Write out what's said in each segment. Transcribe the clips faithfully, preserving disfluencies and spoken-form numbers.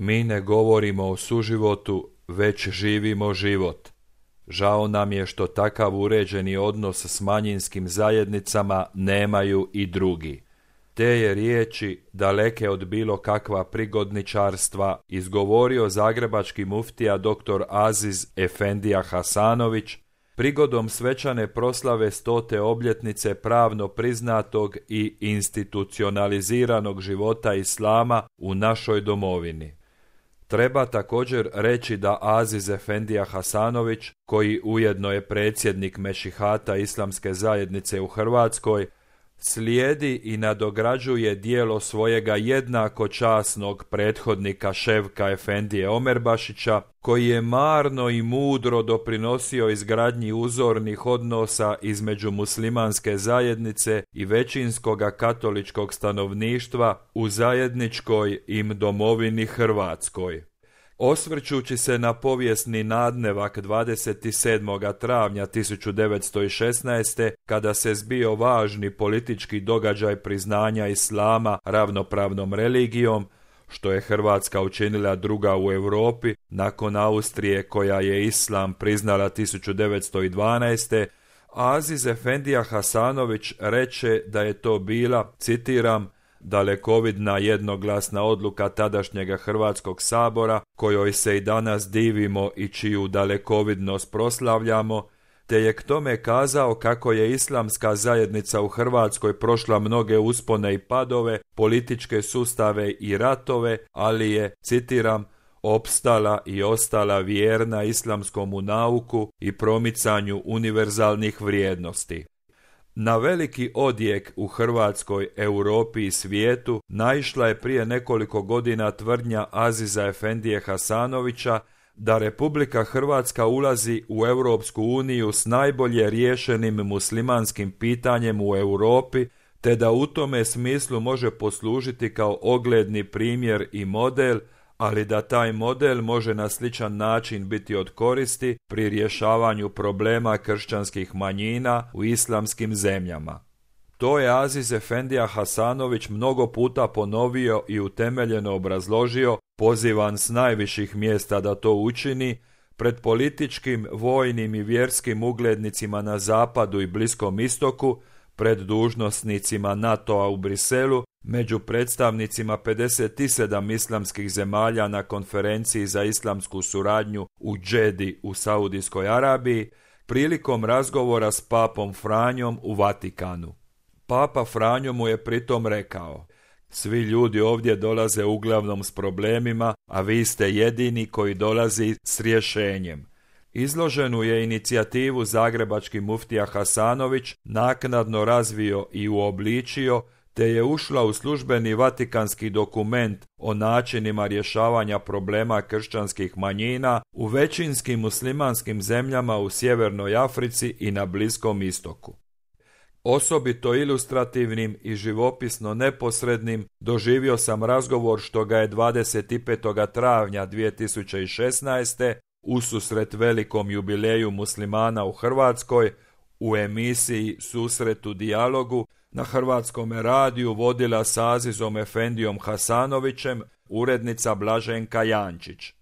Mi ne govorimo o suživotu, već živimo život. Žao nam je što takav uređeni odnos s manjinskim zajednicama nemaju i drugi. Te je riječi, daleke od bilo kakva prigodničarstva, izgovorio zagrebački muftija dr. Aziz Efendija Hasanović prigodom svečane proslave stote obljetnice pravno priznatog i institucionaliziranog života Islama u našoj domovini. Treba također reći da Aziz Efendija Hasanović, koji ujedno je predsjednik Mešihata Islamske zajednice u Hrvatskoj, slijedi i nadograđuje djelo svojega jednako časnog prethodnika Ševka Efendije Omerbašića, koji je marno i mudro doprinosio izgradnji uzornih odnosa između muslimanske zajednice i većinskoga katoličkog stanovništva u zajedničkoj im domovini Hrvatskoj. Osvrćući se na povijesni nadnevak dvadeset sedmog travnja tisuću devetsto šesnaeste. kada se zbio važni politički događaj priznanja Islama ravnopravnom religijom, što je Hrvatska učinila druga u Europi nakon Austrije koja je Islam priznala tisuću devetsto dvanaeste. Aziz Efendija Hasanović reče da je to bila, citiram, dalekovidna jednoglasna odluka tadašnjega Hrvatskog sabora, kojoj se i danas divimo i čiju dalekovidnost proslavljamo, te je k tome kazao kako je islamska zajednica u Hrvatskoj prošla mnoge uspone i padove, političke sustave i ratove, ali je, citiram, opstala i ostala vjerna islamskomu nauku i promicanju univerzalnih vrijednosti. Na veliki odjek u Hrvatskoj, Europi i svijetu naišla je prije nekoliko godina tvrdnja Aziza Efendije Hasanovića da Republika Hrvatska ulazi u Europsku uniju s najbolje riješenim muslimanskim pitanjem u Europi, te da u tome smislu može poslužiti kao ogledni primjer i model, ali da taj model može na sličan način biti od koristi pri rješavanju problema kršćanskih manjina u islamskim zemljama. To je Aziz Efendija Hasanović mnogo puta ponovio i utemeljeno obrazložio, pozivan s najviših mjesta da to učini, pred političkim, vojnim i vjerskim uglednicima na Zapadu i Bliskom istoku, pred dužnosnicima NATO-a u Briselu, među predstavnicima pedeset sedam islamskih zemalja na konferenciji za islamsku suradnju u Džedi u Saudijskoj Arabiji, prilikom razgovora s papom Franjom u Vatikanu. Papa Franjo mu je pritom rekao: svi ljudi ovdje dolaze uglavnom s problemima, a vi ste jedini koji dolazi s rješenjem. Izloženu je inicijativu zagrebački muftija Hasanović naknadno razvio i uobličio, te je ušla u službeni vatikanski dokument o načinima rješavanja problema kršćanskih manjina u većinskim muslimanskim zemljama u Sjevernoj Africi i na Bliskom istoku. Osobito ilustrativnim i živopisno neposrednim doživio sam razgovor što ga je dvadeset petog travnja dvije tisuće šesnaeste. ususret velikom jubileju muslimana u Hrvatskoj u emisiji Susret u dijalogu na Hrvatskom radiju vodila s Azizom Efendijom Hasanovićem urednica Blaženka Jančić.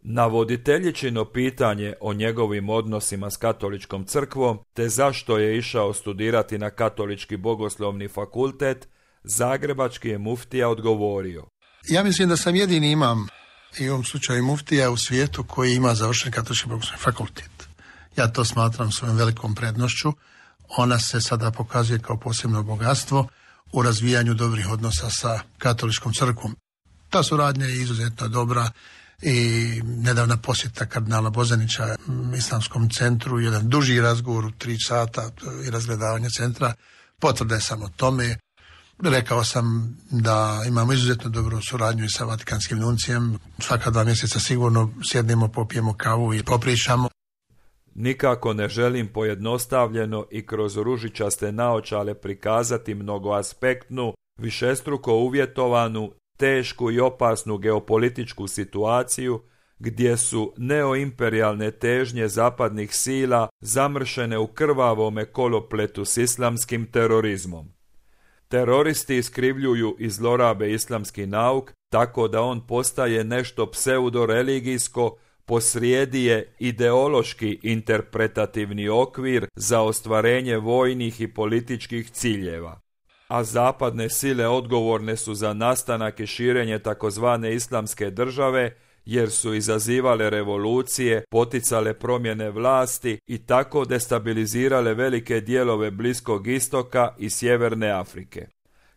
Na voditeljičino pitanje o njegovim odnosima s katoličkom crkvom te zašto je išao studirati na Katolički bogoslovni fakultet, zagrebački je muftija odgovorio: ja mislim da sam jedini imam i u ovom slučaju muftija u svijetu koji ima završen Katolički bogoslovni fakultet. Ja to smatram svojom velikom prednošću. Ona se sada pokazuje kao posebno bogatstvo u razvijanju dobrih odnosa sa Katoličkom crkvom. Ta suradnja je izuzetno dobra i nedavna posjeta kardinala Bozanića Islamskom centru, jedan duži razgovor u tri sata i razgledavanje centra, potvrda je samo tome. Rekao sam da imamo izuzetno dobru suradnju i sa Vatikanskim nuncijem. Svaka dva mjeseca sigurno sjednemo, popijemo kavu i popričamo. Nikako ne želim pojednostavljeno i kroz ružičaste naočale prikazati mnogoaspektnu, višestruko uvjetovanu, tešku i opasnu geopolitičku situaciju gdje su neoimperijalne težnje zapadnih sila zamršene u krvavome kolopletu s islamskim terorizmom. Teroristi iskrivljuju i zlorabe islamski nauk tako da on postaje nešto pseudoreligijsko, posrijedi je ideološki interpretativni okvir za ostvarenje vojnih i političkih ciljeva. A zapadne sile odgovorne su za nastanak i širenje takozvane islamske države, jer su izazivale revolucije, poticale promjene vlasti i tako destabilizirale velike dijelove Bliskog istoka i Sjeverne Afrike.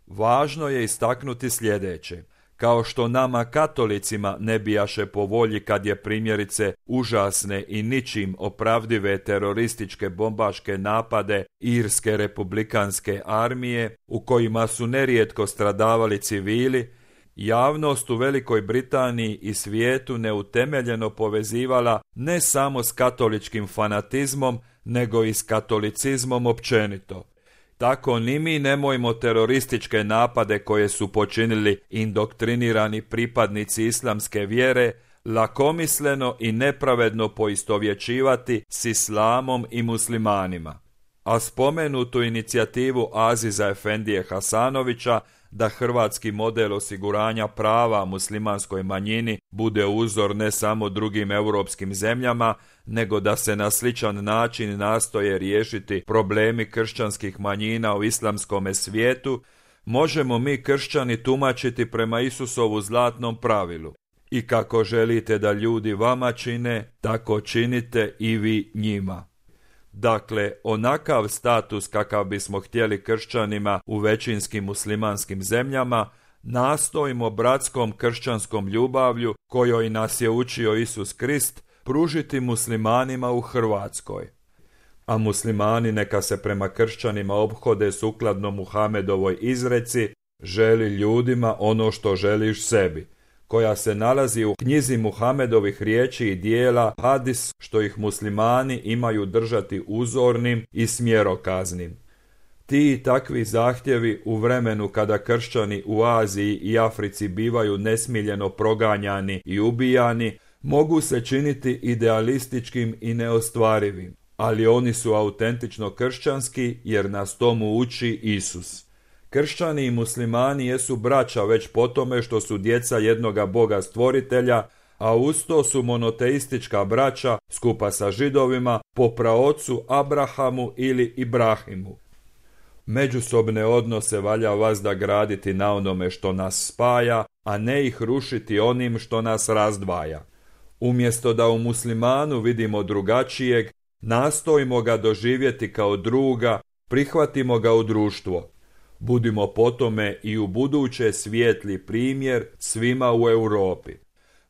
Važno je istaknuti sljedeće. Kao što nama katolicima ne bijaše po volji kad je primjerice užasne i ničim opravdive terorističke bombaške napade Irske republikanske armije, u kojima su nerijetko stradavali civili, javnost u Velikoj Britaniji i svijetu neutemeljeno povezivala ne samo s katoličkim fanatizmom, nego i s katolicizmom općenito. Tako ni mi nemojmo terorističke napade koje su počinili indoktrinirani pripadnici islamske vjere lakomisleno i nepravedno poistovjećivati s islamom i muslimanima. A spomenutu inicijativu Aziza Efendije Hasanovića da hrvatski model osiguranja prava muslimanskoj manjini bude uzor ne samo drugim europskim zemljama, nego da se na sličan način nastoje riješiti problemi kršćanskih manjina u islamskome svijetu, možemo mi kršćani tumačiti prema Isusovu zlatnom pravilu. I kako želite da ljudi vama čine, tako činite i vi njima. Dakle, onakav status kakav bismo htjeli kršćanima u većinskim muslimanskim zemljama, nastojimo bratskom kršćanskom ljubavlju, kojoj nas je učio Isus Krist, pružiti muslimanima u Hrvatskoj. A muslimani neka se prema kršćanima ophode sukladno Muhamedovoj izreci želi ljudima ono što želiš sebi, koja se nalazi u knjizi Muhamedovih riječi i dijela hadis, što ih muslimani imaju držati uzornim i smjerokaznim. Ti i takvi zahtjevi u vremenu kada kršćani u Aziji i Africi bivaju nesmiljeno proganjani i ubijani, mogu se činiti idealističkim i neostvarivim, ali oni su autentično kršćanski jer nas tomu uči Isus. Kršćani i muslimani jesu braća već po tome što su djeca jednoga Boga stvoritelja, a uz to su monoteistička braća skupa sa Židovima po praocu Abrahamu ili Ibrahimu. Međusobne odnose valja vazda graditi na onome što nas spaja, a ne ih rušiti onim što nas razdvaja. Umjesto da u muslimanu vidimo drugačijeg, nastojimo ga doživjeti kao druga, prihvatimo ga u društvo. Budimo po tome i u buduće svijetli primjer svima u Europi.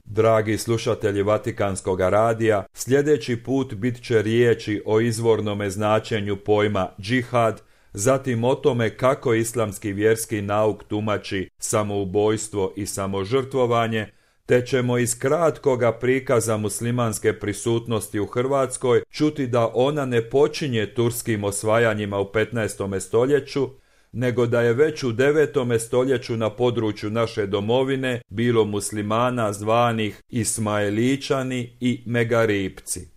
Dragi slušatelji Vatikanskog radija, sljedeći put bit će riječi o izvornome značenju pojma džihad, zatim o tome kako islamski vjerski nauk tumači samoubojstvo i samožrtvovanje, te ćemo iz kratkoga prikaza muslimanske prisutnosti u Hrvatskoj čuti da ona ne počinje turskim osvajanjima u petnaestom stoljeću, nego da je već u devetom stoljeću na području naše domovine bilo muslimana zvanih Ismailičani i Megaripci.